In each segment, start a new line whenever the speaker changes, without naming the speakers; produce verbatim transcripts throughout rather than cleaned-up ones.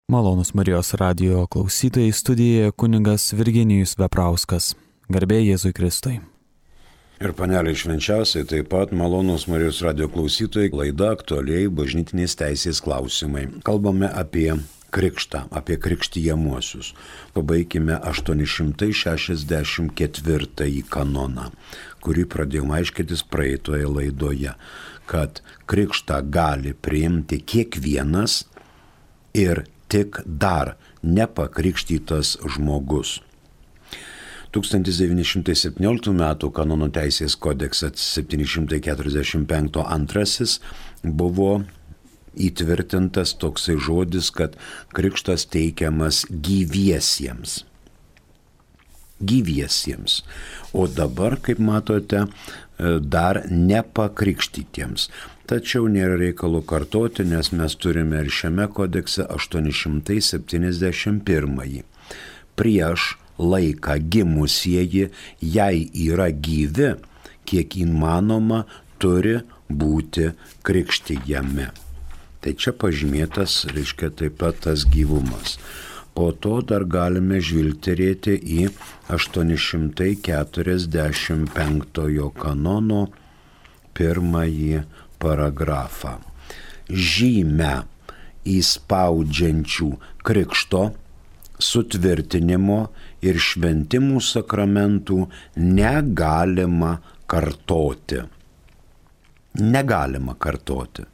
Malonus Marijos radijo klausytojai, studijoje kunigas Virginijus Veprauskas. Garbė Jėzui Kristui.
Ir paneliai švenčiausiai, taip pat malonus Marijos radijo klausytojai, laida aktualiai bažnytinės teisės klausimai. Kalbame apie krikštą, apie krikštijamuosius. Pabaikime aštuoni šimtai šešiasdešimt ketvirtąjį kanoną, kurį pradėjome aiškintis praeitoje laidoje, kad krikštą gali priimti kiekvienas ir tik dar nepakrikštytas žmogus. tūkstantis devyni šimtai septynioliktų metų kanonų teisės kodeksas septyni šimtai keturiasdešimt penktas antrasis buvo įtvirtintas toksai žodis, kad krikštas teikiamas gyviesiems. Gyviesiems. O dabar, kaip matote, dar nepakrikštytiems. Tačiau nėra reikalo kartoti, nes mes turime ir šiame kodekse aštuoni šimtai septyniasdešimt pirmąjį. Prieš laiką gimusieji, jei yra gyvi, kiek įmanoma, turi būti krikštijami. Tai čia pažymėtas, reiškia, taip pat tas gyvumas. Po to dar galime žvilgterėti į aštuoni šimtai keturiasdešimt penktojo kanono pirmąjį paragrafą. Žymę įspaudžiančių krikšto, sutvirtinimo ir šventimų sakramentų negalima kartoti. Negalima kartoti.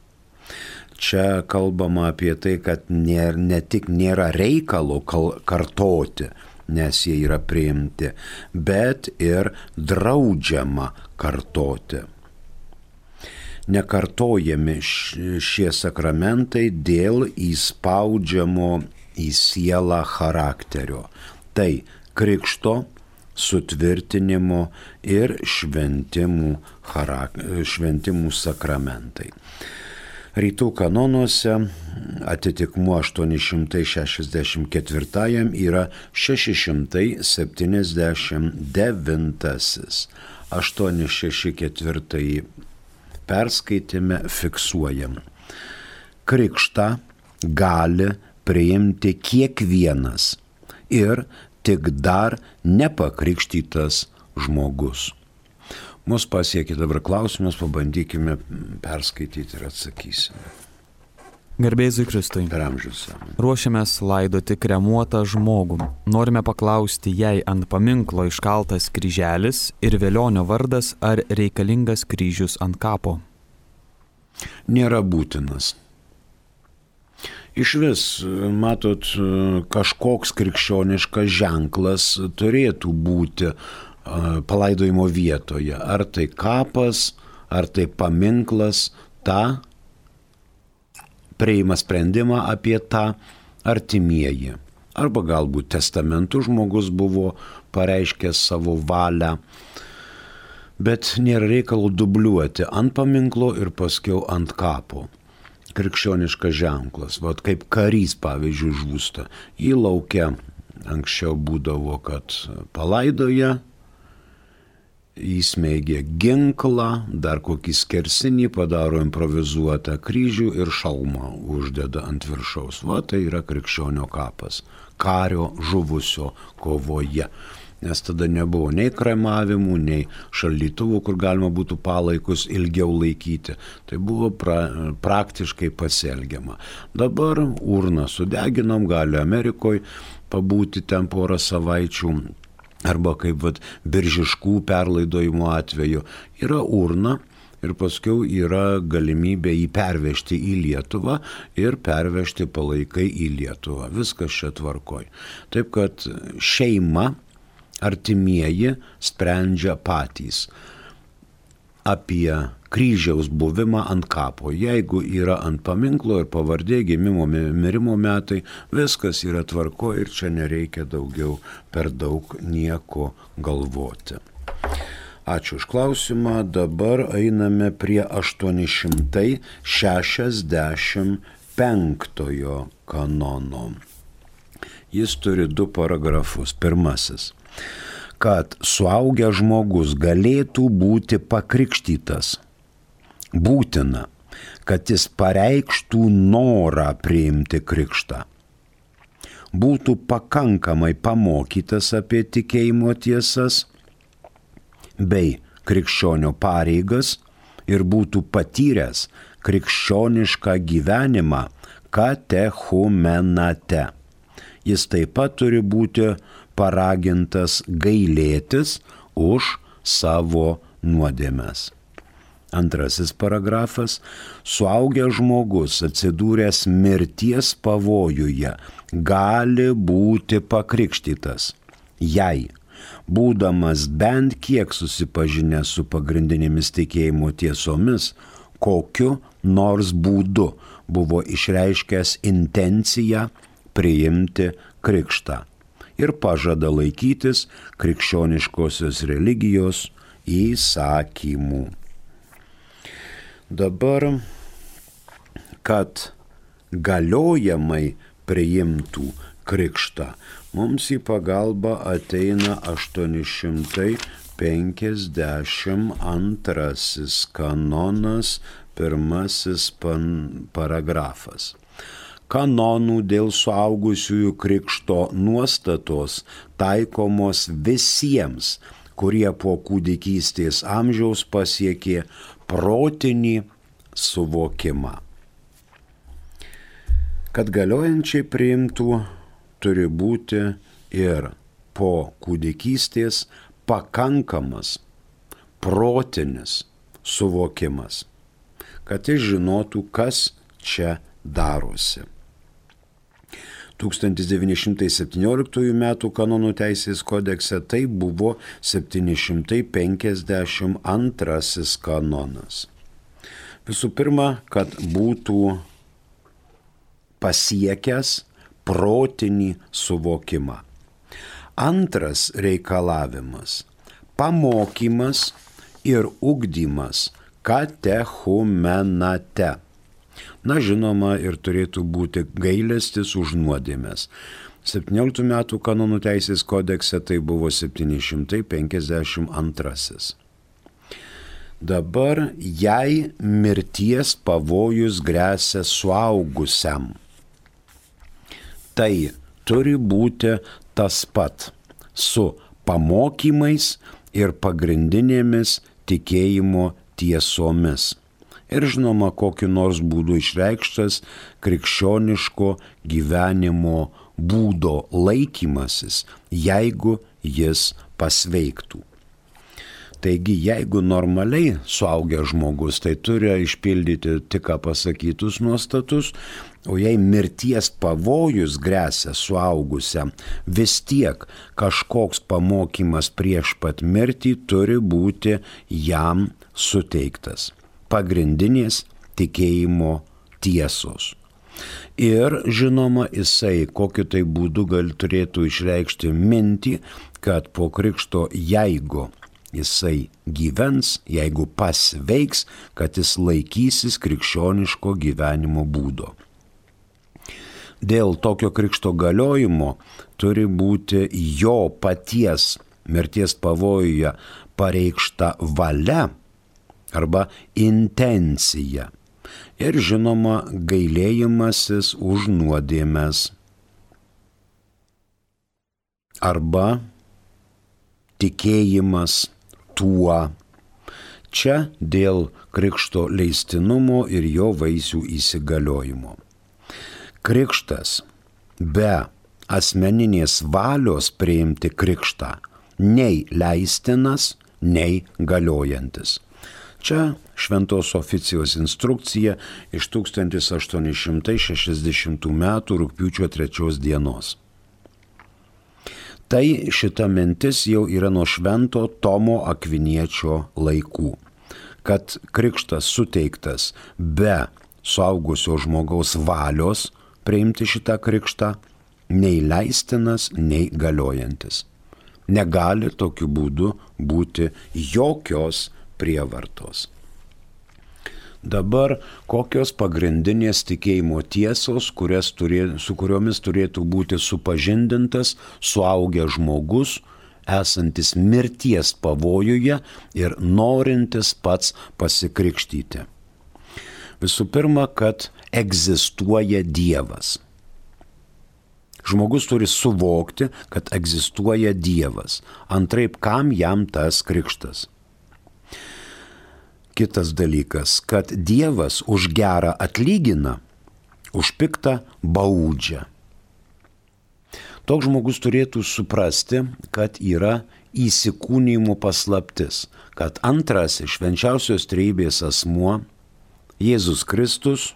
Čia kalbama apie tai, kad ne, ne tik nėra reikalo kartoti, nes jie yra priimti, bet ir draudžiama kartoti. Nekartojami šie sakramentai dėl įspaudžiamo į sielą charakterio. Tai krikšto, sutvirtinimo ir šventimų, charak... šventimų sakramentai. Rytų kanonuose atitikmuo aštuoni šimtai šešiasdešimt ketvirtajam yra šeši šimtai septyniasdešimt devintasis. aštuoni šeši ketvirtąjį perskaitime, fiksuojam. Krikštą gali priimti kiekvienas ir tik dar nepakrikštytas žmogus. Mus pasiekė dabar klausimus, pabandykime perskaityti ir atsakysime.
Garbė Jėzui Kristui.
Per amžius.
Ruošiamės laidoti kremuotą žmogų. Norime paklausti, jei ant paminklo iškaltas kryželis ir velionio vardas, ar reikalingas kryžius ant kapo?
Nėra būtinas. Iš vis, matot, kažkoks krikščioniškas ženklas turėtų būti palaidojimo vietoje. Ar tai kapas, ar tai paminklas, tą priima sprendimą apie tą artimieji. Arba galbūt testamentu žmogus buvo pareiškęs savo valią, bet nėra reikalo dubliuoti ant paminklo ir paskiau ant kapo. Krikščioniškas ženklas, vat kaip karys, pavyzdžiui, žūsta. Į laukę anksčiau būdavo, kad palaidoja, įsmeigia ginklą, dar kokį skersinį, padaro improvizuotą kryžių ir šalmą uždeda ant viršaus. Va, tai yra krikščionio kapas, kario žuvusio kovoje. Nes tada nebuvo nei kremavimų, nei šaldytuvų, kur galima būtų palaikus ilgiau laikyti. Tai buvo pra, praktiškai pasielgiama. Dabar urną sudeginom, gali Amerikoje pabūti ten porą savaičių, arba kaip vat, biržiškų perlaidojimo atveju. Yra urna ir paskiau yra galimybė jį pervežti į Lietuvą ir pervežti palaikai į Lietuvą. Viskas čia tvarkoj. Taip kad šeima, artimieji sprendžia patys apie kryžiaus buvimą ant kapo. Jeigu yra ant paminklo ir pavardė, gimimo, mirimo metai, viskas yra tvarko ir čia nereikia daugiau per daug nieko galvoti. Ačiū už klausimą. Dabar einame prie aštuoni šimtai šešiasdešimt penktojo kanono. Jis turi du paragrafus. Pirmasis. Kad suaugęs žmogus galėtų būti pakrikštytas, būtina, kad jis pareikštų norą priimti krikštą. būtų pakankamai pamokytas apie tikėjimo tiesas bei krikščionio pareigas ir būtų patyręs krikščionišką gyvenimą katechumenate. Jis taip pat turi būti paragintas gailėtis už savo nuodėmes. Antrasis paragrafas. Suaugęs žmogus atsidūręs mirties pavojuje gali būti pakrikštytas, jei, būdamas bent kiek susipažinęs su pagrindinėmis tikėjimo tiesomis, kokiu nors būdu buvo išreiškęs intenciją priimti krikštą ir pažada laikytis krikščioniškosios religijos įsakymų. Dabar, kad galiojamai priimtų krikštą, mums į pagalbą ateina aštuoni šimtai penkiasdešimt antrasis kanonas, pirmasis pan, paragrafas. Kanonų dėl suaugusiųjų krikšto nuostatos taikomos visiems, kurie po kūdikystės amžiaus pasiekė protinį suvokimą. Kad galiojančiai priimtų, turi būti ir po kūdikystės pakankamas protinis suvokimas, kad jis žinotų, kas čia darosi. tūkstantis devyni šimtai septynioliktųjų metų kanonų teisės kodekse tai buvo septyni šimtai penkiasdešimt antrasis kanonas. Visų pirma, kad būtų pasiekęs protinį suvokimą. Antras reikalavimas – pamokymas ir ugdymas katechumenate. Na, žinoma, ir turėtų būti gailestis už nuodėmes. septynioliktų metų kanonų teisės kodekse tai buvo septyni šimtai penkiasdešimt antrasis. Dabar, jei mirties pavojus gresia suaugusiam, tai turi būti tas pat su pamokymais ir pagrindinėmis tikėjimo tiesomis. Ir žinoma, kokiu nors būdu išreikštas krikščioniško gyvenimo būdo laikymasis, jeigu jis pasveiktų. Taigi, jeigu normaliai suaugęs žmogus, tai turi išpildyti tik ką pasakytus nuostatus, o jei mirties pavojus gresia suaugusiam, vis tiek kažkoks pamokymas prieš pat mirtį turi būti jam suteiktas. Pagrindinės tikėjimo tiesos. Ir žinoma, jisai kokiu tai būdu gal turėtų išreikšti mintį, kad po krikšto, jeigu jisai gyvens, jeigu pasveiks, kad jis laikysis krikščioniško gyvenimo būdo. Dėl tokio krikšto galiojimo turi būti jo paties mirties pavojuje pareikšta valia arba intencija. Ir žinoma, gailėjimasis už nuodėmes. Arba tikėjimas tuo. Čia dėl krikšto leistinumo ir jo vaisių įsigaliojimo. Krikštas be asmeninės valios priimti krikštą nei leistinas, nei galiojantis. Čia Šventos oficijos instrukcija iš tūkstantis aštuoni šimtai šešiasdešimtų metų rugpjūčio trečios dienos. Tai šita mintis jau yra nuo Švento Tomo Akviniečio laikų, kad krikštas suteiktas be suaugusio žmogaus valios priimti šitą krikštą, nei leistinas, nei galiojantis. Negali tokiu būdu būti jokios prievartos. Dabar kokios pagrindinės tikėjimo tiesos, turė, su kuriomis turėtų būti supažindintas suaugęs žmogus, esantis mirties pavojuje ir norintis pats pasikrikštyti. Visų pirma, kad egzistuoja Dievas. Žmogus turi suvokti, kad egzistuoja Dievas. Antraip, kam jam tas krikštas? Kitas dalykas, kad Dievas už gerą atlygina, už piktą baudžia. Toks žmogus turėtų suprasti, kad yra įsikūnijimo paslaptis, kad antrasis švenčiausios trejybės asmuo, Jėzus Kristus,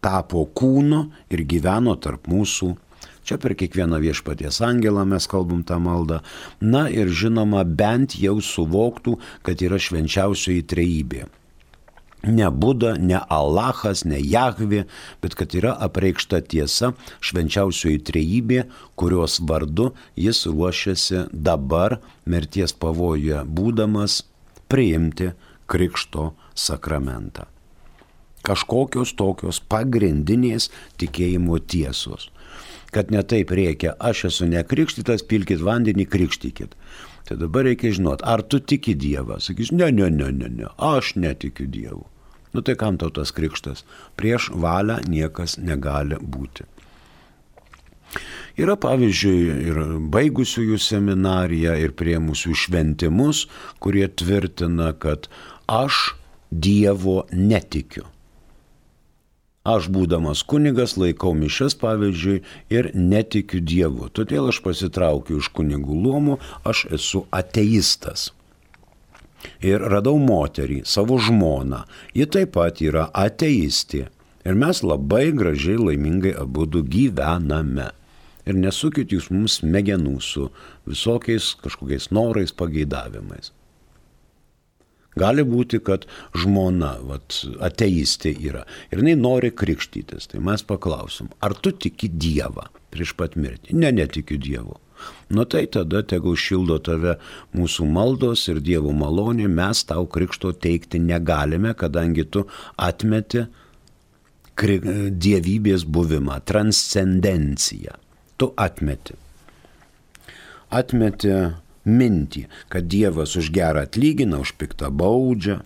tapo kūnu ir gyveno tarp mūsų. Čia per kiekvieną viešpaties angelą mes kalbam tą maldą. Na ir žinoma, bent jau suvoktų, kad yra švenčiausioji trejybė. Ne Buda, ne Alachas, ne Jahvė, bet kad yra apreikšta tiesa švenčiausioji trejybė, kurios vardu jis ruošiasi dabar mirties pavojuje būdamas priimti krikšto sakramentą. Kažkokios tokios pagrindinės tikėjimo tiesos. Kad ne taip reikia, aš esu nekrikštytas, pilkit vandenį, krikštykit. Tai dabar reikia žinot, ar tu tiki Dievą? Sakys, ne, ne, ne, ne, ne, aš netikiu Dievu. Nu tai kam tau tas krikštas? Prieš valią niekas negali būti. Yra pavyzdžiui ir baigusiųjų seminariją, ir priėmusių šventimus, kurie tvirtina, kad aš Dievo netikiu. Aš būdamas kunigas laikau mišias, pavyzdžiui, ir netikiu Dievu. Todėl aš pasitraukiu iš kunigų luomų, aš esu ateistas. Ir radau moterį, savo žmoną. Ji taip pat yra ateistė. Ir mes labai gražiai, laimingai abudu gyvename. Ir nesukit jūs mums smegenų su visokiais kažkokiais norais, pageidavimais. Gali būti, kad žmona vat, ateistė yra ir jinai nori krikštytis. Tai mes paklausim, ar tu tiki Dievą prieš pat mirtį? Ne, netikiu Dievu. Nu tai tada tegul šildo tave mūsų maldos ir Dievo malonė, mes tau krikšto teikti negalime, kadangi tu atmeti kri- dievybės buvimą, transcendenciją. Tu atmeti. Atmeti mintį, kad Dievas už gerą atlygina, už piktą baudžia,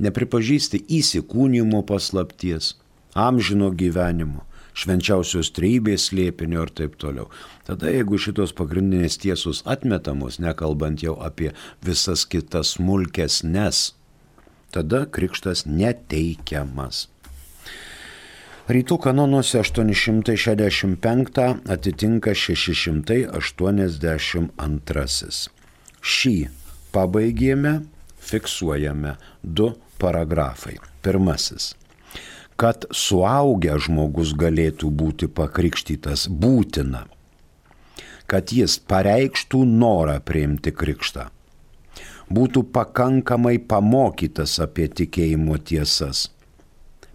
nepripažįsti įsikūnijimo paslapties, amžino gyvenimo, švenčiausios trejybės slėpinio ir taip toliau. Tada jeigu šitos pagrindinės tiesos atmetamos, nekalbant jau apie visas kitas smulkesnes, tada krikštas neteikiamas. Rytų kanonuose aštuoni šimtai šešiasdešimt penktą atitinka šeši šimtai aštuoniasdešimt antrasis. Šį pabaigėme, fiksuojame du paragrafai. Pirmasis. Kad suaugęs žmogus galėtų būti pakrikštytas būtina, kad jis pareikštų norą priimti krikštą, būtų pakankamai pamokytas apie tikėjimo tiesas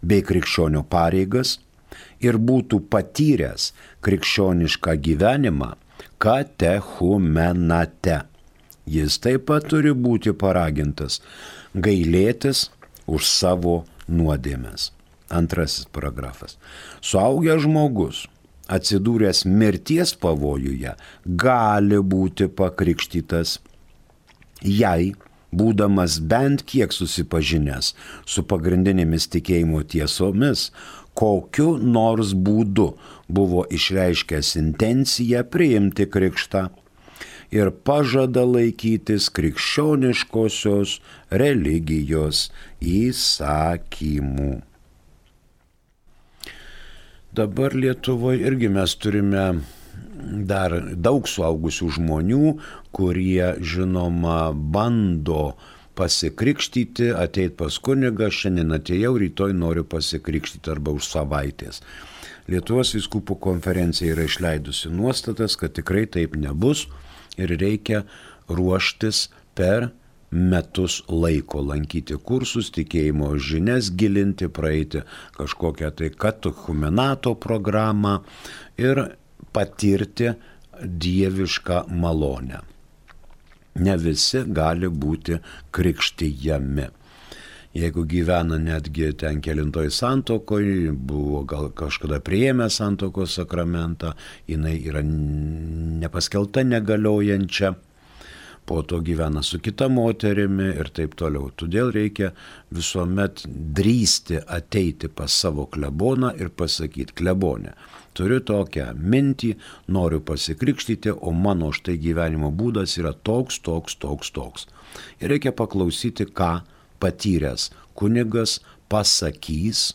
bei krikščionio pareigas ir būtų patyręs krikščionišką gyvenimą katechumenate. Jis taip pat turi būti paragintas gailėtis už savo nuodėmes. Antrasis paragrafas. Suaugęs žmogus, atsidūręs mirties pavojuje, gali būti pakrikštytas, jei, būdamas bent kiek susipažinęs su pagrindinėmis tikėjimo tiesomis, kokiu nors būdu buvo išreiškęs intenciją priimti krikštą ir pažada laikytis krikščioniškosios religijos įsakymų. Dabar Lietuvoje irgi mes turime dar daug suaugusių žmonių, kurie, žinoma, bando pasikrikštyti, ateit pas kunigą, šiandien atėjau, rytoj noriu pasikrikštyti arba už savaitės. Lietuvos vyskupų konferencija yra išleidusi nuostatas, kad tikrai taip nebus ir reikia ruoštis per metus laiko, lankyti kursus, tikėjimo žinias gilinti, praeiti kažkokią tai katechumenato programą ir patirti dievišką malonę. Ne visi gali būti krikštijami. Jeigu gyvena netgi ten kelintoj santuokoj, buvo gal kažkada priėmę santuokos sakramentą, jinai yra nepaskelta negaliojančia, po to gyvena su kita moterimi ir taip toliau. Todėl reikia visuomet drįsti ateiti pas savo kleboną ir pasakyti: klebonė, turiu tokią mintį, noriu pasikrikštyti, o mano štai gyvenimo būdas yra toks, toks, toks, toks. Ir reikia paklausyti, ką patyręs kunigas pasakys,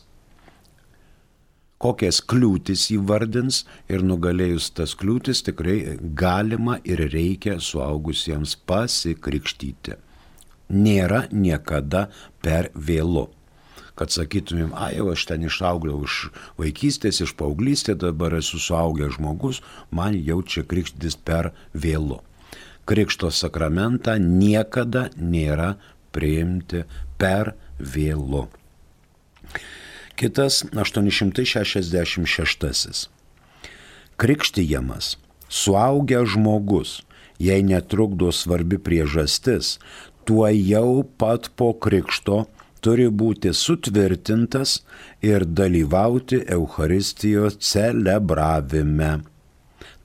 kokias kliūtis įvardins, ir nugalėjus tas kliūtis tikrai galima ir reikia suaugusiems pasikrikštyti. Nėra niekada per vėlu. Kad sakytumėm, ai, jau aš ten išaugliau iš vaikystės, iš paauglystės, dabar esu suaugęs žmogus, man jau čia krikštytis per vėlu. Krikšto sakramentą niekada nėra priimti per vėlu. Kitas aštuoni šimtai šešiasdešimt šeštasis. Krikštijamas suaugęs žmogus, jei netrukdo svarbi priežastis, tuo jau pat po krikšto turi būti sutvirtintas ir dalyvauti Eucharistijos celebravime,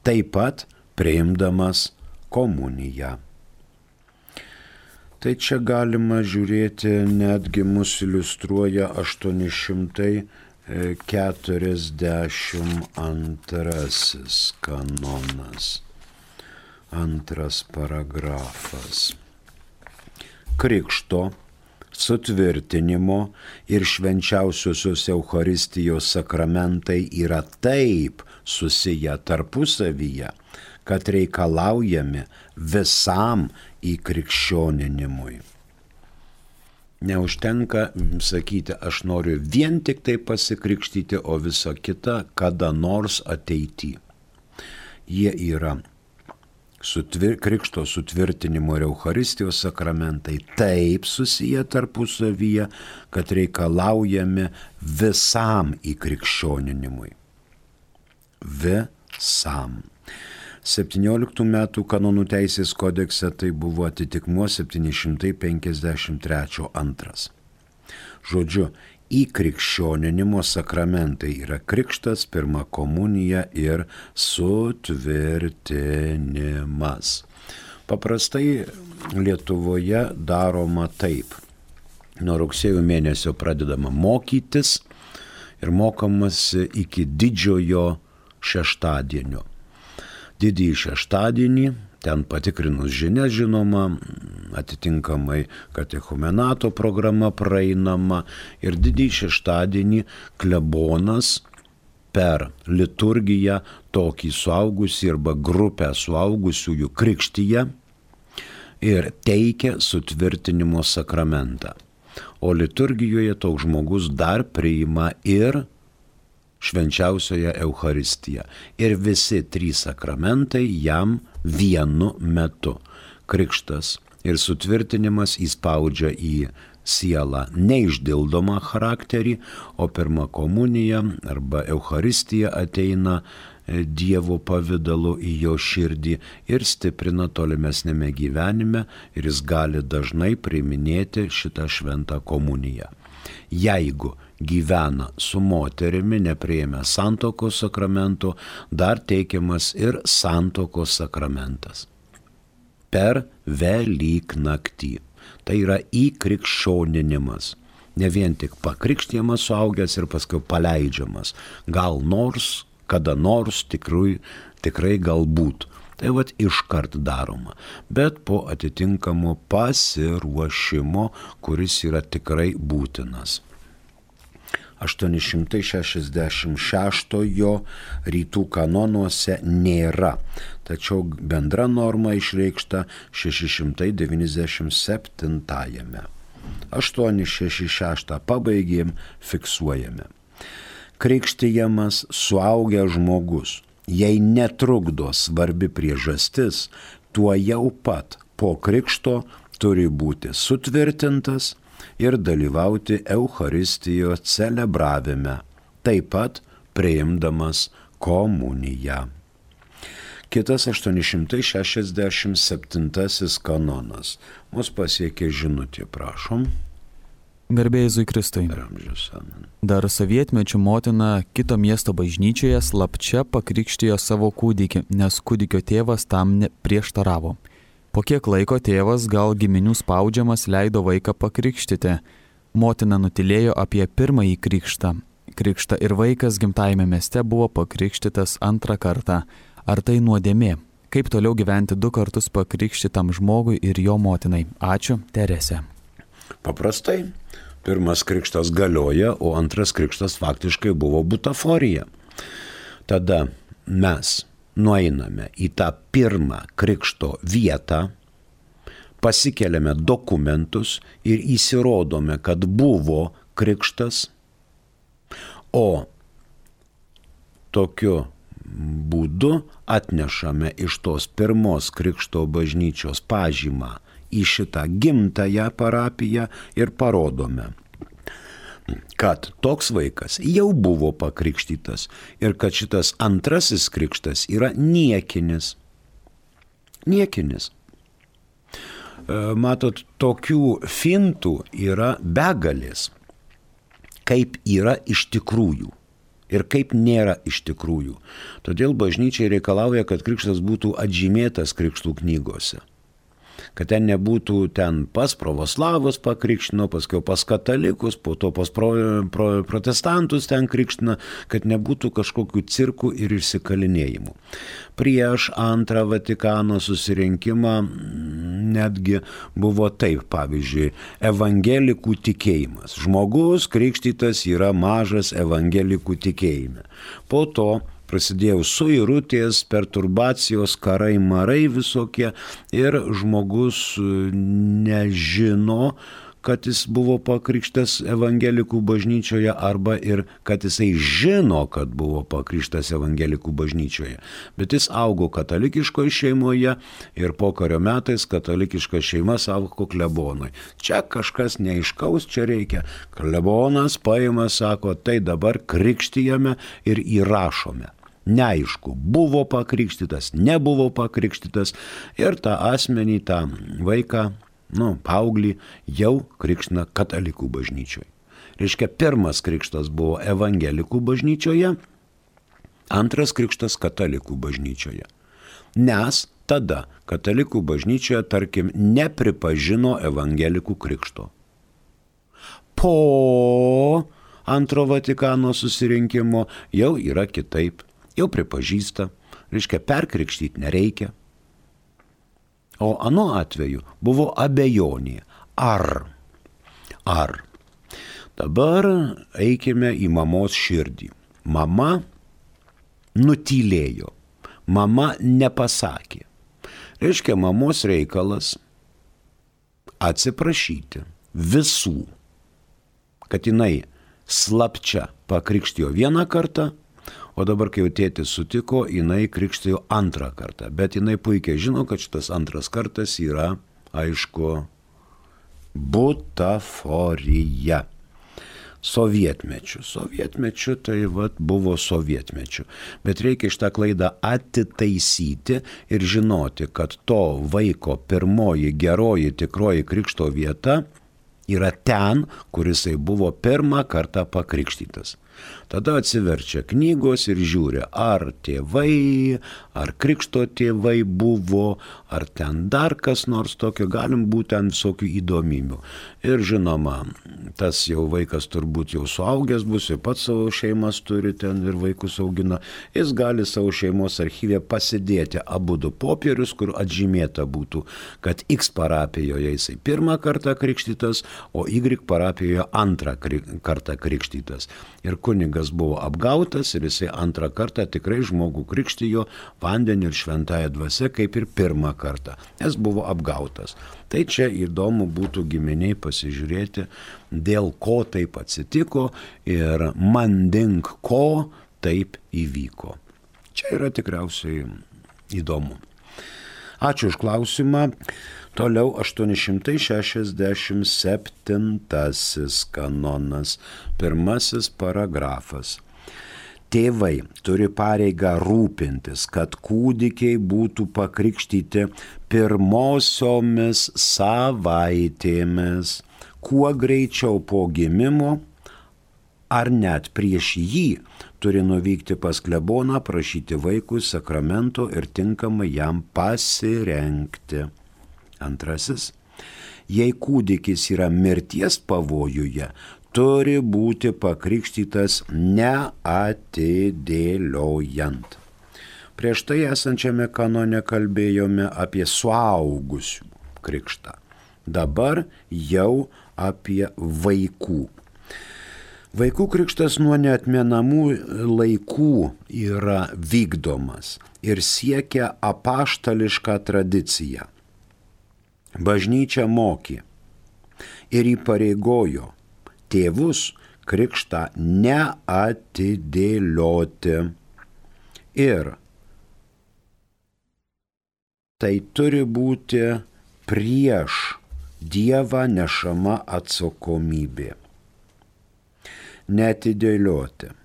taip pat priimdamas komuniją. Tai čia galima žiūrėti, netgi mus iliustruoja aštuoni šimtai keturiasdešimt antrasis kanonas, antras paragrafas. Krikšto, sutvirtinimo ir švenčiausiosios Eucharistijos sakramentai yra taip susiję tarpusavyje, kad reikalaujami visam įkrikščioninimui. Neužtenka sakyti, aš noriu vien tik tai pasikrikštyti, o visa kita kada nors ateity. Jie yra sutvir, krikšto sutvirtinimo ir Eucharistijos sakramentai taip susiję tarpusavyje, kad reikalaujami visam įkrikščioninimui. Visam. septynioliktų metų kanonų teisės kodekse tai buvo atitikmuo septyni šimtai penkiasdešimt trečias antras. Žodžiu, įkrikščioninimo sakramentai yra krikštas, pirma komunija ir sutvirtinimas. Paprastai Lietuvoje daroma taip. Nuo rugsėjo mėnesio pradedama mokytis ir mokomasi iki didžiojo šeštadienio. Didįjį šeštadienį, ten patikrinus žinias, žinoma, atitinkamai katechumenato programa praeinama, ir didįjį šeštadienį klebonas per liturgiją tokį suaugusį arba grupę suaugusiųjų krikštyje ir teikia sutvirtinimo sakramentą. O liturgijoje toks žmogus dar priima ir švenčiausioje Eucharistiją. Ir visi trys sakramentai jam vienu metu. Krikštas ir sutvirtinimas įspaudžia į sielą neišdildomą charakterį, o pirma komunija arba Eucharistija ateina Dievo pavidalu į jo širdį ir stiprina tolimesnėme gyvenime, ir jis gali dažnai priiminėti šitą šventą komuniją. Jeigu gyvena su moterimi, nepriėmė santuokos sakramento, dar teikiamas ir santuokos sakramentas. Per Velyknaktį. Tai yra įkrikščioninimas. Ne vien tik pakrikštijamas suaugęs ir paskui paleidžiamas. Gal nors, kada nors, tikrai, tikrai galbūt. Tai vat iškart daroma. Bet po atitinkamo pasiruošimo, kuris yra tikrai būtinas. aštuoni šimtai šešiasdešimt šeštojo rytų kanonuose nėra, tačiau bendra norma išreikšta šeši šimtai devyniasdešimt septintajame. aštuoni šeši šeši pabaigėm, fiksuojame. Krikštijamas suaugęs žmogus, jei netrukdo svarbi priežastis, tuo jau pat po krikšto turi būti sutvirtintas ir dalyvauti Eucharistijos celebravime, taip pat priimdamas komuniją. Kitas aštuoni šimtai šešiasdešimt septintasis kanonas. Mus pasiekė žinutė, prašom.
Garbė Jėzui Kristui. Dar sovietmečiu motina kito miesto bažnyčioje slapčia pakrikštijo savo kūdikį, nes kūdikio tėvas tam prieštaravo. Po Po kiek laiko tėvas, gal giminių spaudžiamas, leido vaiką pakrikštyti. Motina nutilėjo apie pirmąjį krikštą. Krikštą ir vaikas gimtajame mieste buvo pakrikštytas antrą kartą. Ar tai nuodėmė? Kaip toliau gyventi du kartus pakrikštytam žmogui ir jo motinai? Ačiū, Teresė.
Paprastai, pirmas krikštas galioja, o antras krikštas faktiškai buvo butaforija. Tada mes nueiname į tą pirmą krikšto vietą, pasikeliame dokumentus ir įsirodome, kad buvo krikštas, o tokiu būdu atnešame iš tos pirmos krikšto bažnyčios pažymą į šitą gimtąją parapiją ir parodome, kad toks vaikas jau buvo pakrikštytas ir kad šitas antrasis krikštas yra niekinis. Niekinis. Matot, tokių fintų yra begalės, kaip yra iš tikrųjų ir kaip nėra iš tikrųjų. Todėl bažnyčiai reikalauja, kad krikštas būtų atžymėtas krikštų knygose. Kad ten nebūtų ten pas pravoslavus pakrikštino, paskui pas katalikus, po to pas pro, pro, protestantus ten krikština, kad nebūtų kažkokių cirkų ir išsikalinėjimų. Prieš antrą Vatikano susirinkimą netgi buvo taip, pavyzdžiui, evangelikų tikėjimas. Žmogus krikštytas yra mažas evangelikų tikėjime. Po to prasidėjo suirutės, perturbacijos, karai, marai visokie ir žmogus nežino, kad jis buvo pakrikštas evangelikų bažnyčioje arba ir kad jisai žino, kad buvo pakrikštas evangelikų bažnyčioje. Bet jis augo katalikiškoje šeimoje ir pokario metais katalikiška šeima sako klebonui. Čia kažkas neaiškaus, čia reikia. Klebonas paima, sako, tai dabar krikštijame ir įrašome. Neaišku, buvo pakrikštytas, nebuvo pakrikštytas ir tą asmenį, tą vaiką, nu, paauglį jau krikština katalikų bažnyčioje. Reiškia, pirmas krikštas buvo evangelikų bažnyčioje, antras krikštas katalikų bažnyčioje. Nes tada katalikų bažnyčioje, tarkim, nepripažino evangelikų krikšto. Po antro Vatikano susirinkimo jau yra kitaip. Jau pripažįsta, reiškia, perkrikštyti nereikia. O anu atveju buvo abejonė. Ar? Ar? Dabar eikime į mamos širdį. Mama nutylėjo. Mama nepasakė. Reiškia, mamos reikalas atsiprašyti visų, kad jinai slapčia pakrikštijo vieną kartą, o dabar, kai jau tėtis sutiko, jinai krikštijo antrą kartą. Bet jinai puikiai žino, kad šitas antras kartas yra, aišku, butaforija. Sovietmečių. Sovietmečių tai vat buvo sovietmečių. Bet reikia šitą klaidą atitaisyti ir žinoti, kad to vaiko pirmoji geroji tikroji krikšto vieta yra ten, kur jisai buvo pirmą kartą pakrikštytas. Tada atsiverčia knygos ir žiūri, ar tėvai, ar krikšto tėvai buvo, ar ten dar kas nors tokio, galim būti ten visokių įdomybių. Ir žinoma, tas jau vaikas turbūt jau suaugęs bus, ir pats savo šeimas turi ten ir vaikus augina, jis gali savo šeimos archyve pasidėti abudu popierius, kur atžymėta būtų, kad X parapijoje jisai pirmą kartą krikštytas, o Y parapijoje antrą kartą krikštytas. Ir kunigas buvo apgautas ir jisai antrą kartą tikrai žmogų krikštijo vandenį ir šventąją dvasią kaip ir pirmą kartą, nes buvo apgautas. Tai čia įdomu būtų giminiai pasižiūrėti, dėl ko taip atsitiko ir mandink ko taip įvyko. Čia yra tikriausiai įdomu. Ačiū už klausimą. Toliau aštuoni šimtai šešiasdešimt septintasis kanonas, pirmasis paragrafas. Tėvai turi pareigą rūpintis, kad kūdikiai būtų pakrikštyti pirmosiomis savaitėmis, kuo greičiau po gimimo, ar net prieš jį turi nuvykti pas kleboną, prašyti vaikui sakramento ir tinkamai jam pasirengti. Antrasis, jei kūdikis yra mirties pavojuje, turi būti pakrikštytas neatidėliojant. Prieš tai esančiame kanone kalbėjome apie suaugusių krikštą. Dabar jau apie vaikų. Vaikų krikštas nuo neatmenamų laikų yra vykdomas ir siekia apaštališką tradiciją. Bažnyčia mokė ir įpareigojo tėvus krikštą neatidėlioti. Ir tai turi būti prieš Dievą nešama atsakomybė. Neatidėlioti.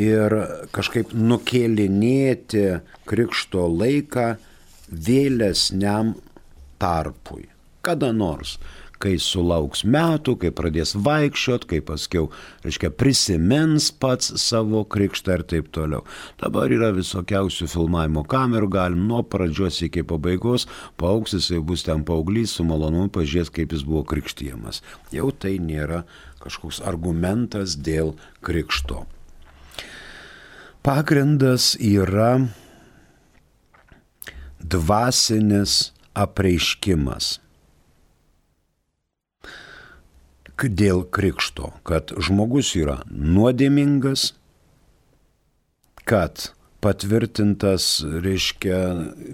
Ir kažkaip nukėlinėti krikšto laiką vėlesniam tarpui. Kada nors, kai sulauks metų, kai pradės vaikščiot, kai paskiau, reiškia, prisimins pats savo krikštą ir taip toliau. Dabar yra visokiausių filmavimo kamerų, galim nuo pradžios iki pabaigos, paaugs jisai bus ten paauglys, su malonumu pažiūrės, kaip jis buvo krikštijamas. Jau tai nėra kažkoks argumentas dėl krikšto. Pagrindas yra dvasinis apreiškimas dėl krikšto, kad žmogus yra nuodėmingas, kad patvirtintas, reiškia,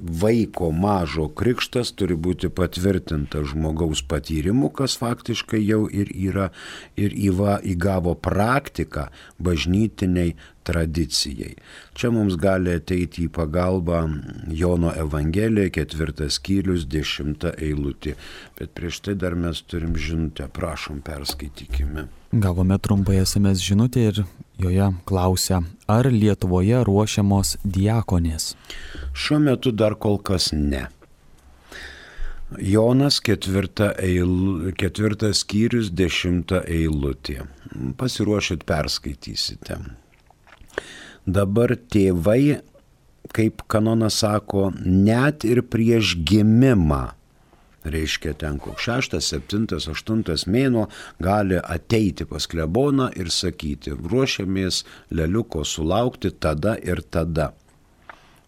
vaiko mažo krikštas turi būti patvirtintas žmogaus patyrimu, kas faktiškai jau ir yra, ir įva, įgavo praktiką bažnytiniai tradicijai. Čia mums gali ateiti į pagalbą Jono Evangelija, ketvirtas skyrius, dešimta eilutė. Bet prieš tai dar mes turim žinutę, prašom, perskaitykime.
Gavome trumpai es em es žinutę ir joje klausia, ar Lietuvoje ruošiamos diakonės?
Šiuo metu dar kol kas ne. Jonas ketvirta eil, ketvirtas skyrius, dešimta eilutė. Pasiruošit, perskaitysite. Dabar tėvai, kaip kanonas sako, net ir prieš gimimą, reiškia ten koks šeštas, septintas, aštuntas mėnuo, gali ateiti pas kleboną ir sakyti, ruošiamės leliuko sulaukti tada ir tada.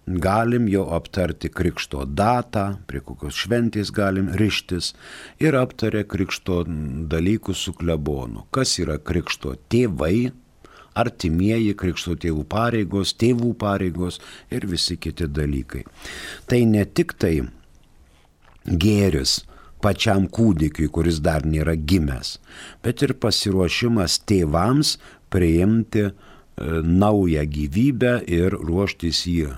Galim jau aptarti krikšto datą, prie kokios šventės galim rištis ir aptarė krikšto dalykus su klebonu. Kas yra krikšto tėvai, artimieji, krikšto tėvų pareigos, tėvų pareigos ir visi kiti dalykai. Tai ne tik tai gėris pačiam kūdikiui, kuris dar nėra gimęs, bet ir pasiruošimas tėvams priimti e, naują gyvybę ir ruoštis jį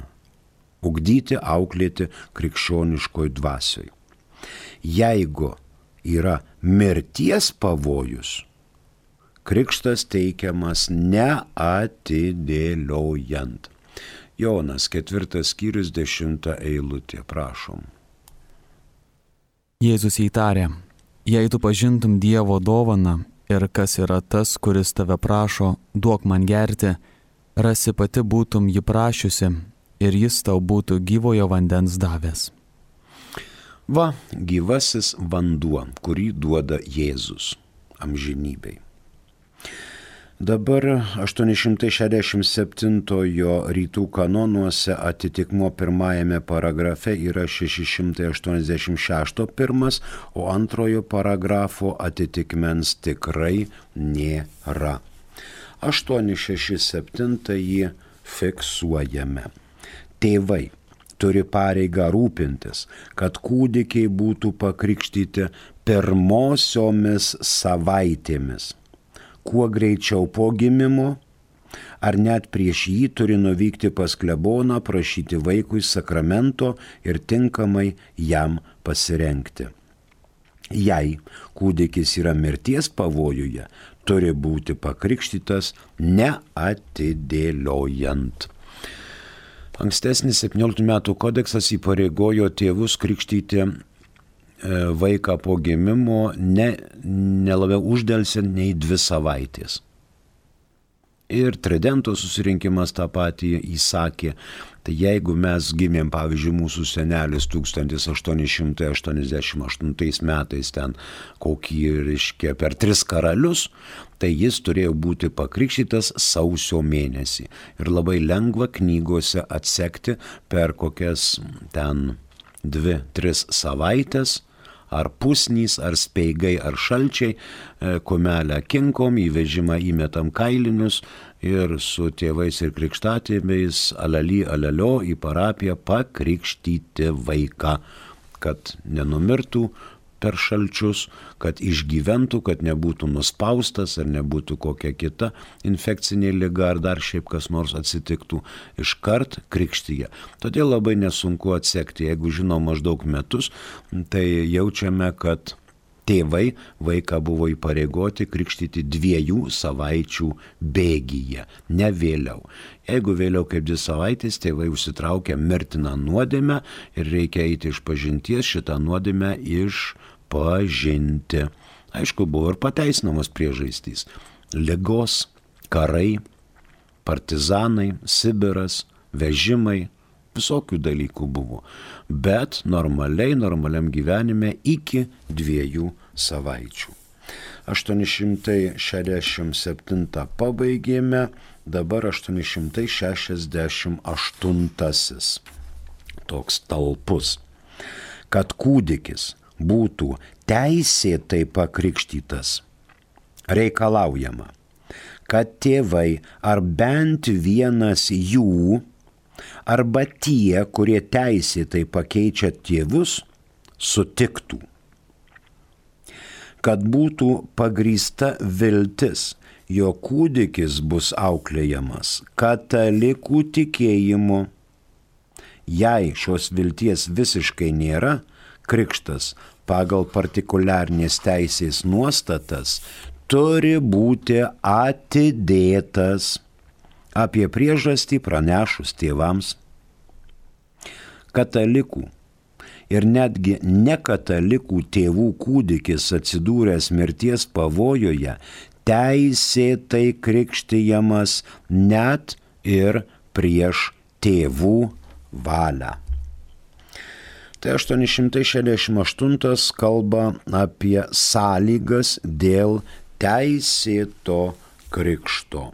ugdyti, auklėti krikščioniškoj dvasioj. Jeigu yra mirties pavojus, krikštas teikiamas neatidėliojant. Jonas, ketvirtas skyrius, dešimta eilutė, prašom.
Jėzus įtarė, jei tu pažintum Dievo dovaną ir kas yra tas, kuris tave prašo, duok man gerti, rasi pati būtum jį prašiusi ir jis tau būtų gyvojo vandens davęs.
Va, gyvasis vanduo, kurį duoda Jėzus amžinybei. Dabar aštuoni šimtai šešiasdešimt septintojo rytų kanonuose atitikmuo pirmajame paragrafe yra šeši šimtai aštuoniasdešimt šešto pirmas, o antrojo paragrafo atitikmens tikrai nėra. aštuoni šeši septintąjį fiksuojame. Tėvai turi pareigą rūpintis, kad kūdikiai būtų pakrikštyti pirmosiomis savaitėmis. Kuo greičiau po gimimo, ar net prieš jį turi nuvykti pas kleboną, prašyti vaikui sakramento ir tinkamai jam pasirengti. Jei kūdikis yra mirties pavojuje, turi būti pakrikštytas neatidėliojant. Ankstesnis septynioliktų metų kodeksas įpareigojo tėvus krikštyti vaiką po gimimo ne, ne labiau uždelsiant nei dvi savaitės. Ir Tridento susirinkimas tą patį įsakė. Tai jeigu mes gimėm, pavyzdžiui, mūsų senelis tūkstantis aštuoni šimtai aštuoniasdešimt aštuntais metais ten kokį, reiškia, per tris karalius, tai jis turėjo būti pakrikštytas sausio mėnesį. Ir labai lengva knygose atsekti per kokias ten dvi, tris savaitės, ar pusnys, ar speigai, ar šalčiai, kumelę kinkom, į vežimą įmetam kailinius ir su tėvais ir krikštatėviais alali alelio į parapiją pakrikštyti vaiką, kad nenumirtų per šalčius, kad išgyventų, kad nebūtų nuspaustas ar nebūtų kokia kita infekcinė liga ar dar šiaip kas nors atsitiktų, iškart krikštyje. Todėl labai nesunku atsekti, jeigu žinom maždaug metus, tai jaučiame, kad tėvai vaiką buvo įpareigoti krikštyti dviejų savaičių bėgyje, ne vėliau. Jeigu vėliau kaip dvi savaitės, tėvai užsitraukia mirtiną nuodėmę ir reikia eiti iš pažinties šitą nuodėmę išpažinti. Aišku, buvo ir pateisinamos priežastys. Ligos, karai, partizanai, Sibiras, vežimai, visokių dalykų buvo. Bet normaliai, normaliam gyvenime iki dviejų savaičių. aštuoni šimtai šešiasdešimt septintą pabaigėme, dabar aštuoni šimtai šešiasdešimt aštuntasis. Toks talpus. Kad kūdikis būtų teisėtai pakrikštytas, reikalaujama, kad tėvai ar bent vienas jų arba tie, kurie teisėtai pakeičia tėvus, sutiktų. Kad būtų pagrįsta viltis, jo kūdikis bus auklėjamas katalikų tikėjimu. Jei šios vilties visiškai nėra, krikštas pagal partikuliarnės teisės nuostatas turi būti atidėtas. Apie priežastį pranešus tėvams. Katalikų ir netgi nekatalikų tėvų kūdikis atsidūręs mirties pavojoje teisėtai krikštijamas net ir prieš tėvų valią. Tai aštuoni šimtai šešiasdešimt aštuntas kalba apie sąlygas dėl teisėto krikšto.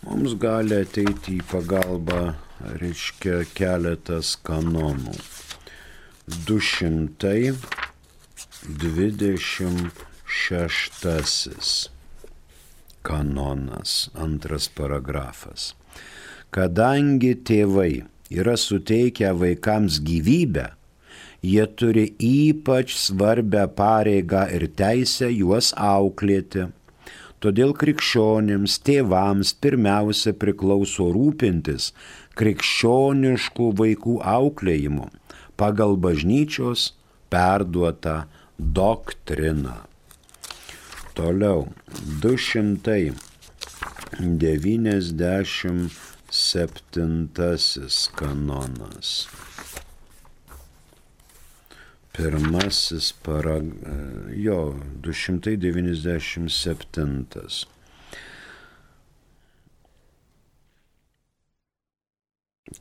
Mums gali ateiti į pagalbą, reiškia, keletas kanonų. du šimtai dvidešimt šeštasis kanonas, antras paragrafas. Kadangi tėvai yra suteikę vaikams gyvybę, jie turi ypač svarbią pareigą ir teisę juos auklėti. Todėl krikščionims tėvams pirmiausia priklauso rūpintis krikščioniškų vaikų auklėjimu pagal bažnyčios perduotą doktriną. Toliau, du šimtai devyniasdešimt septintasis kanonas. Pirmasis para, jo, du šimtai devyniasdešimt septintas.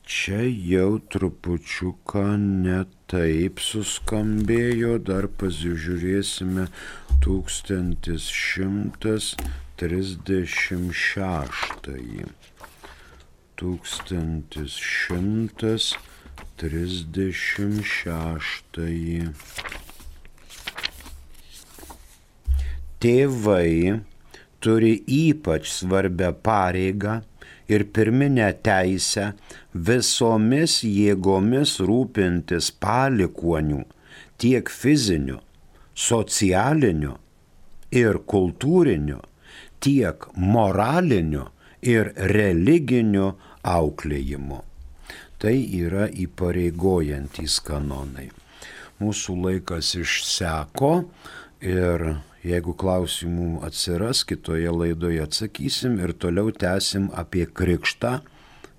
Čia jau trupučiuką netaip suskambėjo, dar pasižiūrėsime tūkstantis šimtas trisdešimt šeštąjį. Tūkstantis šimtas trisdešimt šeštąjį. Tėvai turi ypač svarbią pareigą ir pirminę teisę visomis jėgomis rūpintis palikuonių tiek fiziniu, socialiniu ir kultūriniu, tiek moraliniu ir religiniu auklėjimu. Tai yra įpareigojantys kanonai. Mūsų laikas išseko ir jeigu klausimų atsiras, kitoje laidoje atsakysim ir toliau tęsim apie krikštą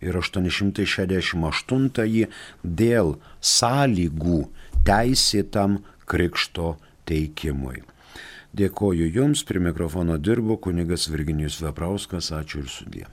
ir aštuoni šimtai šešiasdešimt aštuntąjį dėl sąlygų teisėtam krikšto teikimui. Dėkoju Jums, prie mikrofono dirbo kunigas Virginijus Veprauskas, ačiū ir sudie.